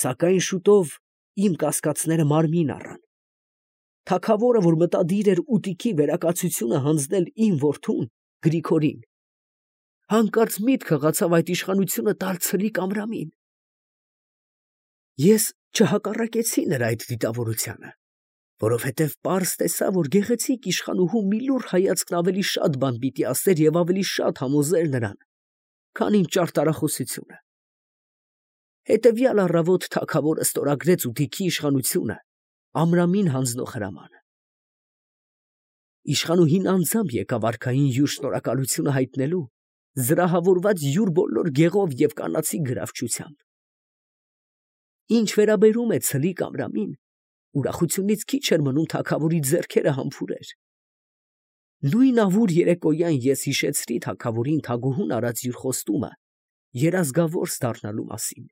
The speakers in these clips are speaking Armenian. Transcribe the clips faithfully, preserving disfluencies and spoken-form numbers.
Սակայն շուտով իմ կասկածները մարմին առան. թագավորը, որ մտադիր էր ուտիքի վերակացությունը հանձնել իմ որդուն Գրիգորին, հանկարծ միտք հղացավ այդ իշխանությունը տալ Ցլիկ Ամրամին։ Ես չհակառակեցի նրա այդ դիտավորությանը, որովհետև պարզ տեսա, որ գեղեցիկ իշխանուհու մի լուռ հայացքն ավելի շատ բան պիտի ասեր և ավելի շատ համոզեր նրան, քան իմ ճարտարախոսությունը։ Հետևյալ առավոտ թագավորը ստորագրեց ուտիքի իշխանությունը Ամրամին հանձնող հրամանը։ Իշխանուհին անձամբ եկավ արքային յուր շնորհակալությունը հայտնելու, զրահավորված յուր բոլոր գեղով և կանացի գրավչությամբ։ Ինչ վերաբերում է Ցլիկ Ամրամին, ուրախությունից քիչ էր մնում թագավորի ձեռքերը համբուրեր։ Նույն ավուր երեկոյան ես հիշեցրի թագավորին թագուհուն արած յուր խոստումը երազգավորս դառնալու մասին,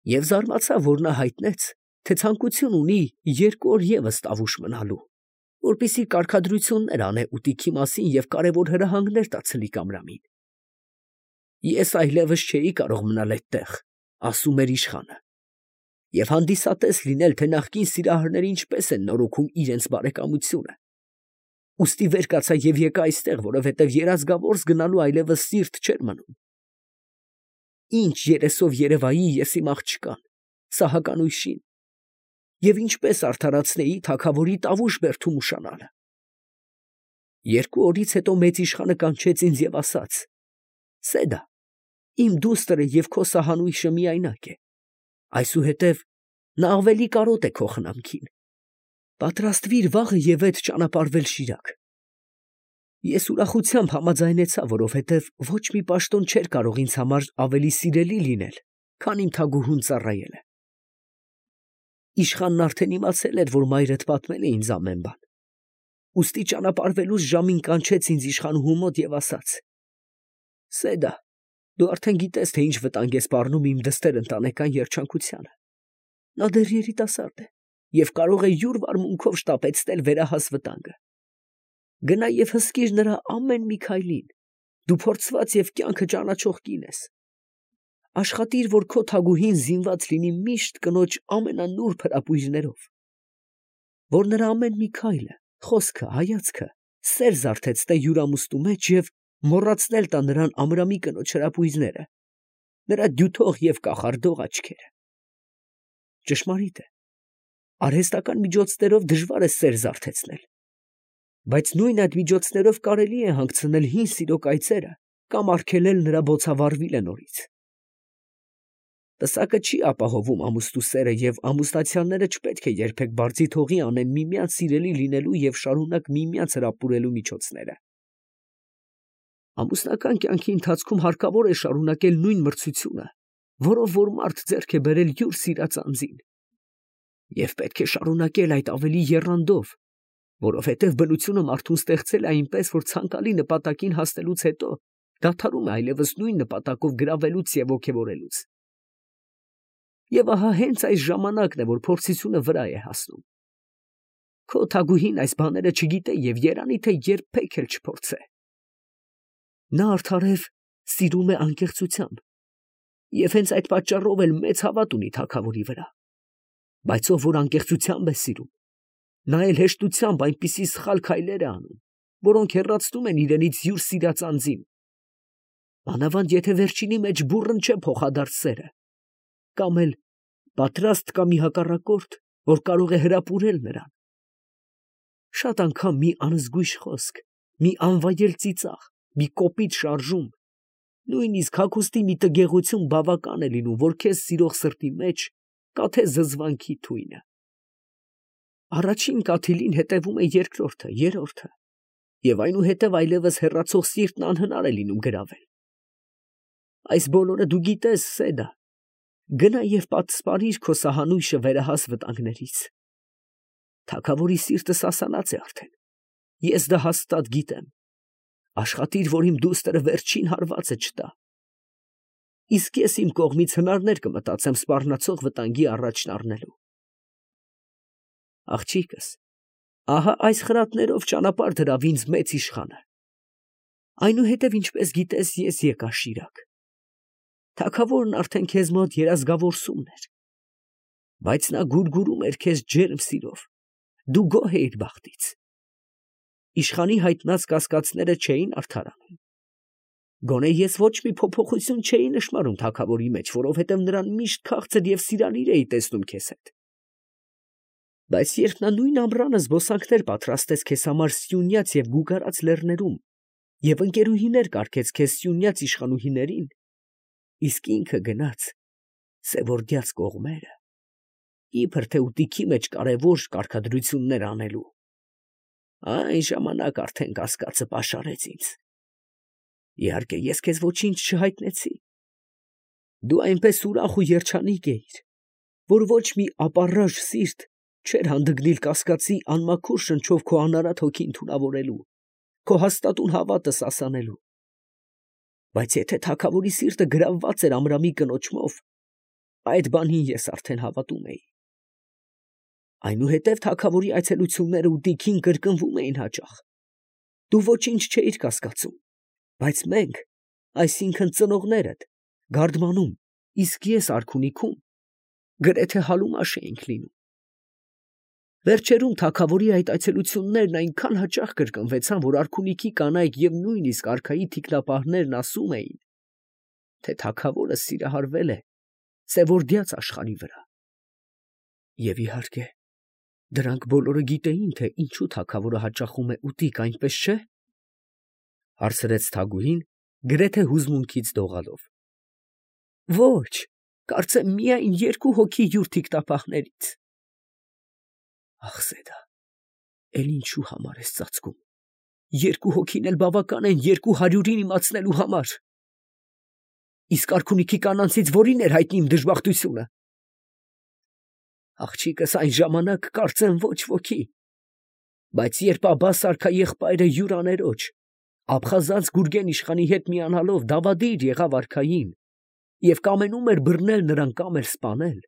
և զարմացա, որ նա հայտնեց, թե ցանկություն ունի երկու օր ևս տավուշ մնալու, որպեսզի կարգադրություններ անե ուտիքի մասին և կարևոր հրահանգներ տա Ցլիկ Ամրամին։ Ես այլևս չէի կարող մնալ այդտեղ, ասում էր իշխանը, և հանդիսատես լինել, թե նախկին սիրահարները ինչպես են նորոգում իրենց բարեկամությունը։ Ուստի վեր կացա և եկա այստեղ, որովհետև երազգավորս գնալու այլևս սիրտ չէր մնում։ Ինչ երեսով երևայի ես իմ աղջկան, Սահական ույշին, և ինչպես արդարացնեի թագավորի տավուշ բերդում ուշանալը։ Երկու օրից հետո մեծ իշխանը կանչեց ինձ և ասաց. «Սեդա, իմ դուստրը և քո սահանույշը միայնակ է, այսուհետև նա ավելի կարոտ է քո խնամքին. պատրաստվիր վաղը և ետ ճանապարհվել Շիրակ»։ Ես ուրախությամբ համաձայնեցա, որովհետև ոչ մի պաշտոն չէր կարող ինձ համար ավելի սիրելի լինել, քան իմ թագուհուն ծառայելը։ Իշխանն արդեն իմացել էր, որ մայրդ պատմել է ինձ ամեն բան, ուստի ճանապարհվելուս ժամին կանչեց ինձ իշխանուհու մոտ և ասաց. «Սեդա, դու արդեն գիտես, թե ինչ վտանգ է սպառնում իմ դստեր ընտանեկան երջանկությանը։ Նա դեռ երիտասարդ է և կարող է յուր վարմունքով շտապեցնել վերահաս վտանգը։ Գնա և հսկիր նրա ամեն մի քայլին, դու փորձված և կյանքը ճանաչող կին ես։ Աշխատիր, որ քո թագուհին զինված լինի միշտ կնոջ ամենանուրբ հրապույրներով, որ նրա ամեն մի քայլը, խոսքը, հայացքը սեր զարթեցնե յուրամուստու մեջ և մոռացնել տա նրան Ամրամի կնոջ հրապույրները, նրա դյութող և կախարդող աչքերը։ Ճշմարիտ է, արհեստական միջոցներով դժվար է սեր զարթեցնել, բայց նույն այդ միջոցներով կարելի է հանգցնել հին սիրո կայծերը կամ արգելել նրա բոցավառվիլը նորից։ Պսակը չի ապահովում ամուստու սերը, և ամուսնացյալները չպետք է երբեք բարձիթ հողի անեն միմյանց սիրելի լինելու և շարունակ միմյանց հրապուրելու միջոցները։ Ամուսնական կյանքի ընթացքում հարկավոր է շարունակել նույն մրցությունը, որով որ մարդ ձեռք է բերել յուր սիրած անձին, և պետք է շարունակել այդ ավելի եռանդով, որովհետև բնությունը մարդուն ստեղծել է այնպես, որ ցանկալի նպատակին հասնելուց հետո դադարում է այլևս նույն նպատակով գրավելուց և ոգևորելուց։ Եվ ահա հենց այս ժամանակն է, որ փորձությունը վրա է հասնում։ Քո թագուհին այս բաները չգիտե և երանի թե երբեք էլ չփորձե։ Նա արդարև սիրում է անկեղծությամբ և հենց այդ պատճառով էլ մեծ հավատ ունի թագավորի վրա, բայց ով որ անկեղծությամբ է սիրում, նա էլ հեշտությամբ այնպիսի սխալ քայլեր է անում, որոնք հեռացնում են իրենից յուր սիրած անձին, մանավանդ եթե վերջինի մեջ բուռն չէ փոխադարձ սերը, կամ էլ պատրաստ կա մի հակառակորդ, որ կարող է հրապուրել նրան։ Շատ անգամ մի անզգույշ խոսք, մի անվայել ծիծաղ, մի կոպիտ շարժում, նույնիսկ հագուստի մի տգեղություն բավական է լինում, որ քեզ սիրող սրտի մեջ կաթե զզվանքի թույնը։ Առաջին կաթիլին հետևում է երկրորդը, երրորդը, և այնուհետև այլևս հեռացող սիրտն անհնար է լինում գրավել։ Այս բոլորը դու գիտես, Սեդա, գնա և պատսպարիր քո սահանույշը վերահաս վտանգներից։ Թագավորի սիրտը սասանած է արդեն, ես դա հաստատ գիտեմ։ Աշխատիր, որ իմ դուստր վերջին հարվածը չտա։ Իսկ ես իմ կողմից հնարներ կմտածեմ սպառնացող վտանգի առաջն առնելու։ Աղջիկս, ահա այս խրատներով ճանապարհ դրավ ինձ մեծ իշխանը։ Այնուհետև, ինչպես գիտես, ես եկա Շիրակ։ Թագավորն արդեն քեզ մոտ երազգավորսումն էր, Բայց նա գուրգուրում էր քեզ ջերմ սիրով, դու գոհ էիր բախտից։ Իշխանի հայտնած կասկածները չէին արդարանում։ Գոնե ես ոչ մի փոփոխություն չէի նշմարում թագավորի մեջ, որովհետև նրան միշտ քաղցր և սիրալիր էի տեսնում քեզ հետ։ Բայց երբ նա նույն ամռանը զբոսանքներ պատրաստեց քեզ համար Սյունյաց և Գուգարած լեռներում և ընկերուհիներ կարգեց քեզ Սյունյաց իշխանուհիներին, իսկ ինքը գնաց Սևորդյաց կողմերը, իբր թե ուտիքի մեջ կարևոր կարգադրություններ անելու, այն ժամանակ արդեն կասկածը պաշարեց ինձ։ Իհարկե, ես քեզ ոչինչ չհայտնեցի։ Դու այնպես ուրախ ու երջանիկ էիր, որ ոչ մի ապառաժ սիրտ չէր հանդգնիլ կասկածի անմաքուր շնչով քո անարատ հոգին թունավորելու, քո հաստատուն հավատը սասանելու։ Բայց եթե թագավորի սիրտը գրավված էր Ամրամի կնոջմով, այդ բանին ես արդեն հավատում էի։ Այնուհետև թագավորի այցելությունները ուտիքին կրկնվում էին հաճախ։ Դու ոչինչ չէիր կասկածում, բայց մենք, այսինքն ծնողներդ, գարդմանում, իսկ ես արքունիքում, գրեթե հալումաշ էինք լինում։ Վերջերում թագավորի այդ այցելություններն այնքան հաճախ կրկնվեցան, որ արքունիքի կանայք և նույնիսկ արքայի թիկնապահներն ասում էին, թե թագավորը սիրահարվել է Սևորդյաց աշխարհի վրա։ Եվ իհարկե, դրանք բոլորը գիտեին, թե ինչու թագավորը հաճախում է ուտիկ, այնպես չէ՞, հարցրեց Թագուհին, գրեթե հուզմունքից դողալով։ Ոչ, կարծեմ միայն երկու հոգի յուր թիկնապահներից։ Ախ, Սեդա, էլ ինչու համար ես ծածկում։ Երկու հոգին էլ բավական են երկու հարյուրին իմացնելու համար։ Իսկ արքունիքի կանանցից որին էր հայտնի իմ դժբախտությունը։ Աղջիկս այն ժամանակ կարծեմ ոչ ոքի, բայց երբ Աբբաս արքա եղբայրը յուր աներոջ, Աբխազանց Գուրգեն իշխանի հետ միանալով դավադիր եղավ արքային և կամենում էր բռնել նրան կամ էլ սպանել,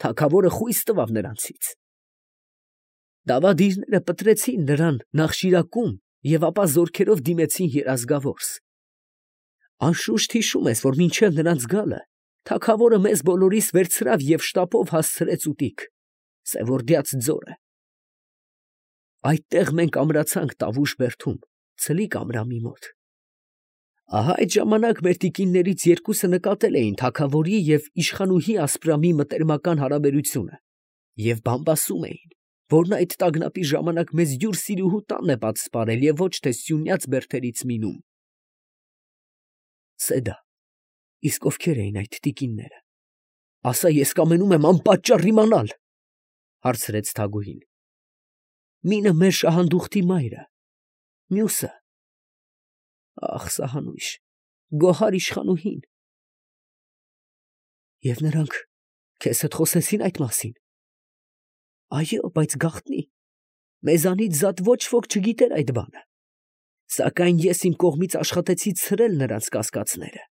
թագավորը խույս տվավ նրանցից։ Դավադիրները պտրեցին նրան Նախշիրակում և ապա զորքերով դիմեցին երազգավորս։ Անշուշտ հիշում ես, որ մինչև նրանց գալը թագավորը մեզ բոլորիս վերցրավ և շտապով հասցրեց ուտիկ, Սևորդյաց ձորը։ Այդտեղ մենք ամրացանք Տավուշ բերդում, Ցլիկ Ամրամի մոտ։ Ահա այդ ժամանակ մեր տիկիններից երկուսը նկատել էին թագավորի և իշխանուհի Ասպրամի մտերմական հարաբերությունը և բամբասում էին, որ նա այդ տագնապի ժամանակ մեզ յուր սիրուհու տանն է պատսպարել և ոչ թե Սյունյաց բերդերից մինում։ Սեդա, իսկ ովքեր էին այդ տիկինները։ Ասա, ես կամենում եմ անպատճառ իմանալ, հարցրեց Թագուհին։ Մինը մեր շահանդուխտի մայրը, մյուսը, ախ, սահանույշ, Գոհար իշխանուհին։ Եվ նրանք քեզ հետ խոսեցին այդ մասին։ Այո, բայց գաղտնի, մեզանից զատ ոչ ոք չգիտեր այդ բանը, սակայն ես իմ կողմից աշխատեցի ցրել նրանց կասկածները։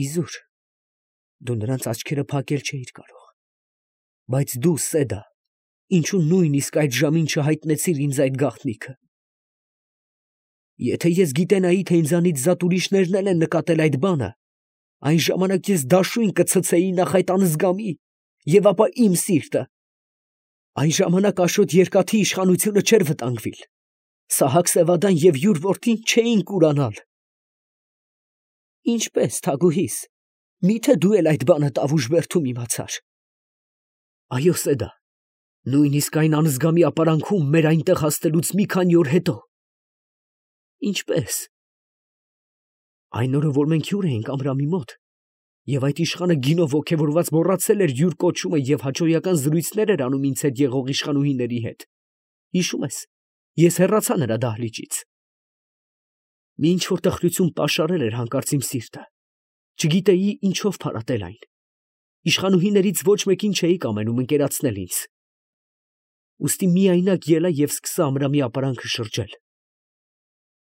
Իզուր, դու նրանց աչքերը փակել չէիր կարող, բայց դու, Սեդա, ինչու նույնիսկ այդ ժամին չհայտնեցիր ինձ այդ գաղտնիքը։ Եթե ես գիտենայի, թե ինձանից զատ ուրիշներն էլ են նկատել այդ բանը, այն ժամանակ ես դաշույն կցցեի նախ այդ անզգամի և ապա իմ սիրտը։ Այն ժամանակ Աշոտ Երկաթի իշխանությունը չէր վտանգվիլ, Սահակ Սևադան և յուր որդին չէին կուրանալ։ Ինչպե՞ս, Թագուհիս, միթե դու էլ այդ բանը Տավուշ բերդում իմացար։ Այո, Սեդա, նույնիսկ այն անզգամի ապարանքում մեր այնտեղ հասնելուց մի քանի օր հետո։ Ինչպե՞ս։ Այն օրը, որ մենք հյուր էինք Ամրամի մոտ, և այդ իշխանը գինով ոգևորված մոռացել էր յուր կոչումը և հաճոյական զրույցներ էր անում ինձ հետ եղող իշխանուհիների հետ, հիշում ես, ես հեռացա նրա դահլիճից։ Մի ինչ֊որ տխրություն պաշարել էր հանկարծ իմ սիրտը, չգիտեի ինչով փարատել այն։ Իշխանուհիներից ոչ մեկին չէի կամենում ընկերացնել ինձ։ Ուստի միայնակ ելա և սկսա Ամրամի ապարանքը շրջել։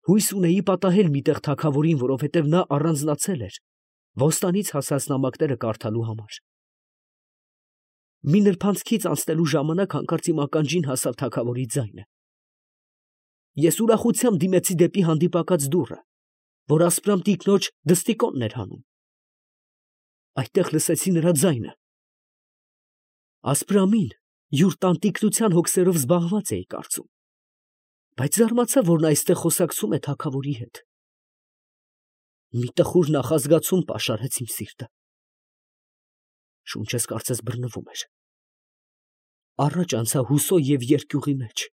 Հույս ունեի պատահել մի տեղ թագավորին, որովհետև նա առանձնացել էր Ոստանից հասած նամակները կարդալու համար։ Մի նրբանցքից անցնելու ժամանակ հանկարծ իմ ականջին հասավ թագավորի ձայնը։ Ես ուրախությամբ դիմեցի դեպի հանդիպակաց դուռը, որ Ասպրամ տիկնոջ դստիկոնն էր հանում։ Այդտեղ լսեցի նրա ձայնը։ Ասպրամին յուր տանտիկնության հոգսերով զբաղված էի կարծում, բայց զարմացա, որ նա այստեղ խոսակցում է թագավորի հետ։ Մի տխուր նախազգացում պաշարեց իմ սիրտը։ Շունչս կարծես բռնվում էր։ Առաջ անցա հուսո և երկյուղի մեջ։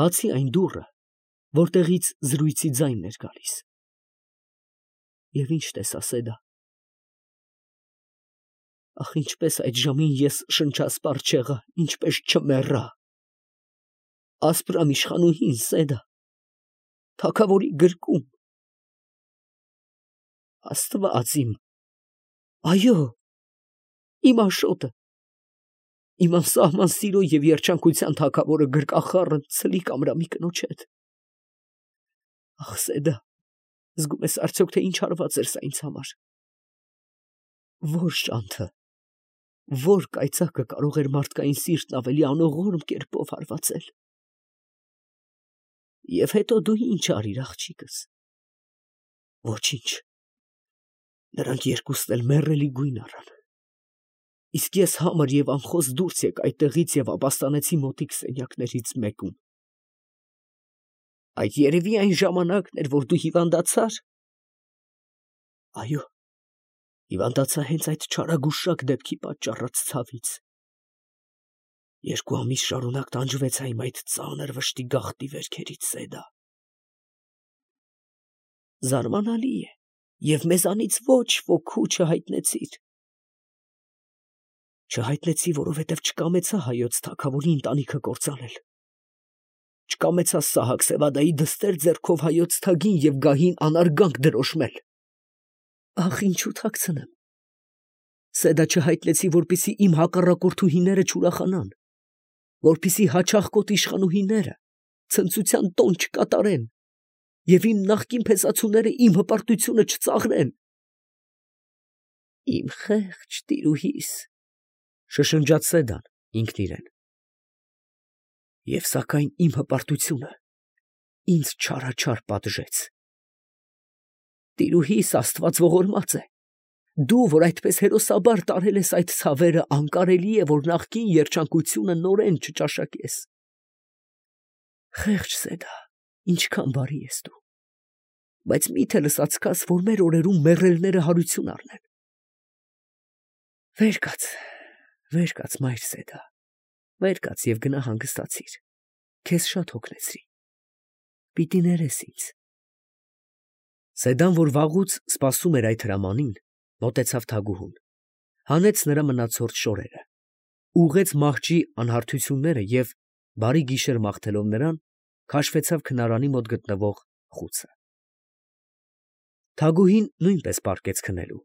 Բացի այն դուռը, որտեղից զրույցի ձայնն էր գալիս։ Եվ ինչ տեսա Սեդա։ Ախ, ինչպես այդ ժամին ես շնչասպառ չեղա, ինչպես չմեռա։ Ասպրամ իշխանուհին Սեդա, թագավորի գրկում։ Աստված իմ, այո, իմ Աշոտը, իմ անսահման սիրո և երջանկության թագավորը գրկախառն ցլիկ ամրամի կնոջ հետ։ Ախ, Սեդա, զգում ես արդյոք, թե ինչ արված էր սա ինձ համար։ Ո՞ր շանթը, ո՞ր կայծակը կարող էր մարդկային սիրտն ավելի անողորմ կերպով հարվածել։ Եվ հետո դու ինչ արիր, աղջիկս։ Ոչինչ։ Նրանք երկուսն էլ մեռելի գույն առան։ Իսկ ես համր և անխոս դուրս եկա այդտեղից և ապաստանեցի մոտիկ սենյակներից մեկում։ Այդ երևի այն ժամանակն էր, որ դու հիվանդացար։ Այո, հիվանդացա հենց այդ չարագուշակ դեպքի պատճառած ցավից։ Երկու ամիս շարունակ տանջվեցա իմ այդ ծանր վշտի գաղտնի վերքերից, Սեդա։ Զարմանալի է, և մեզանից ոչ ոքու չհայտնեցիր։ Չհայտնեցի, որովհետև չկամեցա հայոց թագավորի ընտանիքը կործանել։ Չկամեցա Սահակ Սևադայի դստեր ձեռքով հայոց թագին և գահին անարգանք դրոշմել։ Ախ, ինչու թաքցնեմ։ Սեդա, չհայտնեցի, որպեսզի իմ հակառակորդուհիները չուրախանան, որպեսզի հաճախկոտ իշխանուհիները ցնծության տոն չկատարեն և իմ նախկին փեսացուները իմ հպարտությունը չծաղրեն։ Իմ խեղճ տիրուհիս, շշնջաց Սեդան ինքն իրեն։ Եվ սակայն իմ հպարտությունը ինձ չարաչար պատժեց։ Տիրուհիս, Աստված ողորմած է, դու, որ այդպես հերոսաբար տարել ես այդ ցավերը, անկարելի է, որ նախկին երջանկությունը նորեն չճաշակես։ Խեղճ Սեդա, ինչքան բարի ես դու, բայց մի՞թե լսացքաս, որ մեր օրերում մեռելները հարություն առնեն։ Վեր կաց, վեր կաց, մայր Սեդա, վեր կաց և գնա հանգստացիր, քեզ շատ հոգնեցրի, պիտի ներես ինձ։ Սեդան, որ վաղուց սպասում էր այդ հրամանին, մոտեցավ թագուհուն, հանեց նրա մնացորդ շորերը, ուղղեց մահճի անհարթությունները և, բարի գիշեր մաղթելով նրան, քաշվեցավ քնարանի մոտ գտնվող խուցը։ Թագուհին նույնպես պառկեց քնելու,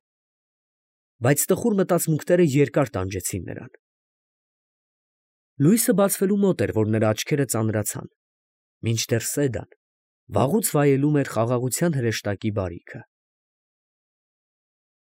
բայց տխուր մտածմունքները երկար տանջեցին նրան։ Լույսը բացվելու մոտ էր, որ նրա աչքերը ծանրացան, մինչդեռ Սեդան վաղուց վայելում էր խաղաղության հրեշտակի բարիքը։